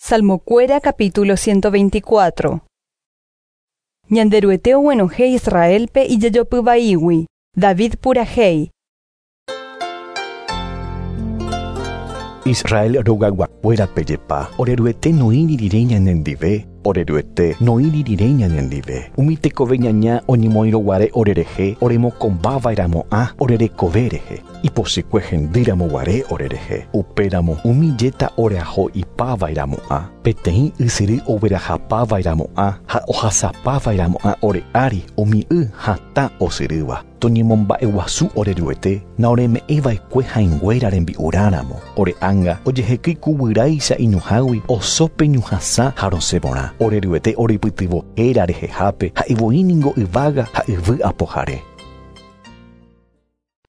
Salmokuéra capítulo 124. Ñanderuete oguenohẽ Israélpe ijejopy vaígui. David purahéi. Israel rogayguakuéra pejepa, ore Ruete noĩri rire ñanendive, ore Ruete noĩri rire ñanendive. Umi tekove ñaña oñemoĩroguare orerehe, oremokombava'erãmo'ã ore rekove rehe. Ipochykue hendýramoguare orerehe. Upéramo umi jeta oreaho'ipava'erãmo'ã, peteĩ ysyry oguerahapava'erãmo'ã ha ohasapava'erãmo'ã ore ári umi y hatã osyrýva. Toñemomba'eguasu ore Ruete naoreme'ẽva'ekue hãinguéra rembi'urãramo. Ore ánga ojehekýi ku guyráicha iñuhãgui osópe ñuhãsã ha rosẽporã. Ore Ruete orepytyvõ héra rehehápe ha'evoíningo yvága ha yvy apohare.